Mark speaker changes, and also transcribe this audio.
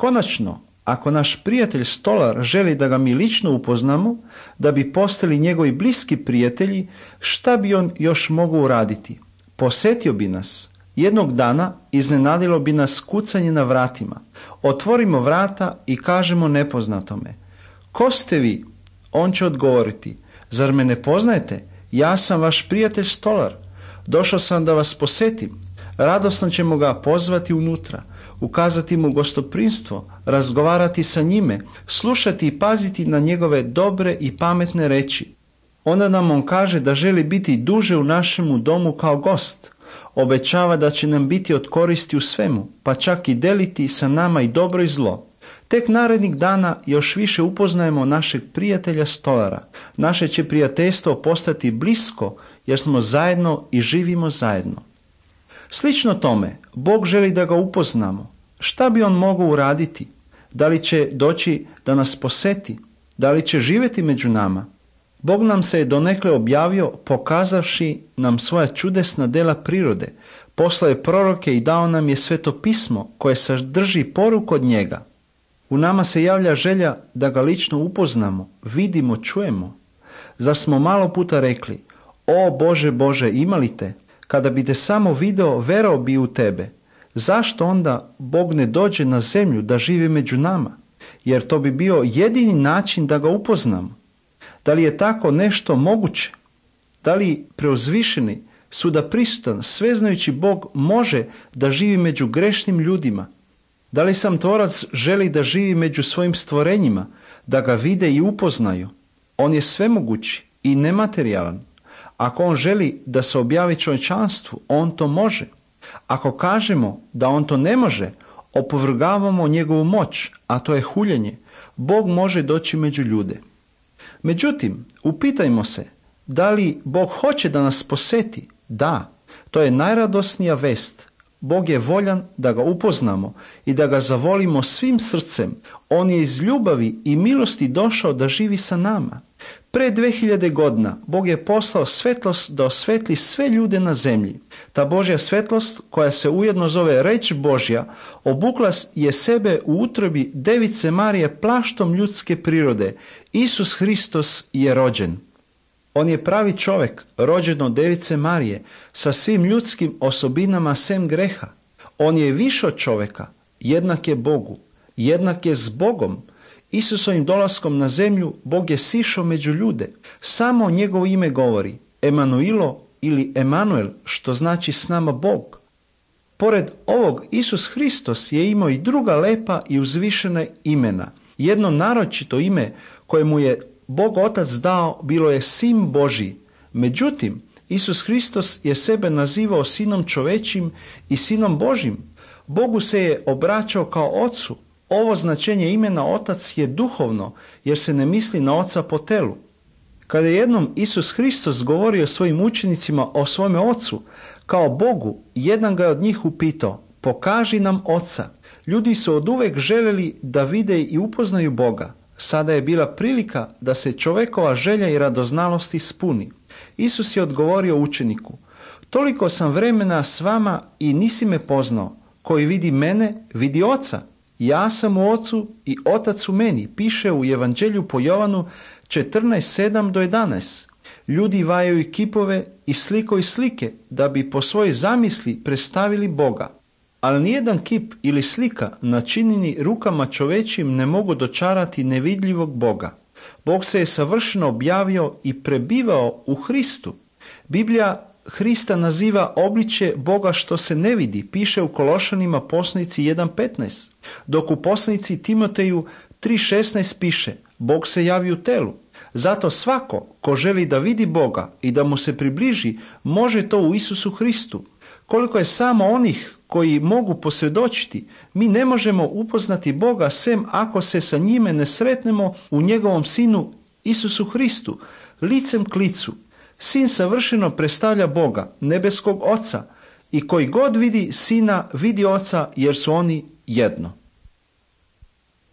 Speaker 1: Konačno, ako naš prijatelj stolar želi da ga mi lično upoznamo, da bi postali njegovi bliski prijatelji, šta bi on još mogao uraditi? Posjetio bi nas. Jednog dana iznenadilo bi nas kucanje na vratima. Otvorimo vrata i kažemo nepoznatome: ko ste vi? On će odgovoriti: zar me ne poznajete? Ja sam vaš prijatelj stolar. Došao sam da vas posjetim. Radosno ćemo ga pozvati unutra, ukazati mu gostoprimstvo, razgovarati sa njime, slušati i paziti na njegove dobre i pametne reči. Onda nam on kaže da želi biti duže u našemu domu kao gost. Obećava da će nam biti od koristi u svemu, pa čak i deliti sa nama i dobro i zlo. Tek narednih dana još više upoznajemo našeg prijatelja stolara. Naše će prijateljstvo postati blisko jer smo zajedno i živimo zajedno. Slično tome, Bog želi da ga upoznamo. Šta bi on mogao uraditi? Da li će doći da nas posjeti? Da li će živjeti među nama? Bog nam se je donekle objavio pokazavši nam svoja čudesna dela prirode. Poslao je proroke i dao nam je Sveto pismo koje sadrži poruku od njega. U nama se javlja želja da ga lično upoznamo, vidimo, čujemo. Zar smo malo puta rekli: o Bože, Bože, ima li te? Kada bi te samo video, verao bi u tebe. Zašto onda Bog ne dođe na zemlju da živi među nama? Jer to bi bio jedini način da ga upoznamo. Da li je tako nešto moguće? Da li preuzvišeni, svuda prisutan, sveznajući Bog može da živi među grešnim ljudima? Da li sam tvorac želi da živi među svojim stvorenjima, da ga vide i upoznaju? On je svemogući i nematerijalan. Ako on želi da se objavi čovječanstvu, on to može. Ako kažemo da on to ne može, opovrgavamo njegovu moć, a to je huljenje. Bog može doći među ljude. Međutim, upitajmo se, da li Bog hoće da nas posjeti? Da, to je najradosnija vest. Bog je voljan da ga upoznamo i da ga zavolimo svim srcem. On je iz ljubavi i milosti došao da živi sa nama. Pre 2000 godina Bog je poslao svetlost da osvetli sve ljude na zemlji. Ta Božja svetlost, koja se ujedno zove reč Božja, obukla je sebe u utrobi Device Marije plaštom ljudske prirode. Isus Hristos je rođen. On je pravi čovjek, rođen od Device Marije, sa svim ljudskim osobinama sem greha. On je više od čovjeka, jednak je Bogu, jednak je s Bogom. Isusovim dolaskom na zemlju Bog je sišao među ljude. Samo njegovo ime govori Emanuilo ili Emanuel, što znači s nama Bog. Pored ovog, Isus Hristos je imao i druga lepa i uzvišena imena. Jedno naročito ime koje mu je Bog Otac dao bilo je Sin Božji. Međutim, Isus Hristos je sebe nazivao Sinom čovečim i Sinom Božjim. Bogu se je obraćao kao Ocu. Ovo značenje imena Otac je duhovno, jer se ne misli na Oca po telu. Kada je jednom Isus Hristos govorio svojim učenicima o svome Ocu, kao Bogu, jedan ga je od njih upitao: pokaži nam Oca. Ljudi su oduvek željeli da vide i upoznaju Boga. Sada je bila prilika da se čovekova želja i radoznalost ispuni. Isus je odgovorio učeniku: toliko sam vremena s vama i nisi me poznao. Koji vidi mene, vidi Oca. Ja sam u Ocu i Otac u meni, piše u Evanđelju po Jovanu 14:7-11. Ljudi vajaju i kipove i slikoj slike da bi po svojoj zamisli predstavili Boga. Ali nijedan kip ili slika načinjeni rukama čovečim ne mogu dočarati nevidljivog Boga. Bog se je savršeno objavio i prebivao u Hristu. Biblija Hrista naziva obličje Boga što se ne vidi, piše u Kološanima poslanici 1:15, dok u poslanici Timoteju 3:16 piše: Bog se javi u telu. Zato svako ko želi da vidi Boga i da mu se približi, može to u Isusu Hristu. Koliko je samo onih koji mogu posvjedočiti, mi ne možemo upoznati Boga sem ako se sa njime ne sretnemo u njegovom Sinu Isusu Hristu, licem k licu. Sin savršeno predstavlja Boga, nebeskog Oca, i koji god vidi Sina, vidi Oca, jer su oni jedno.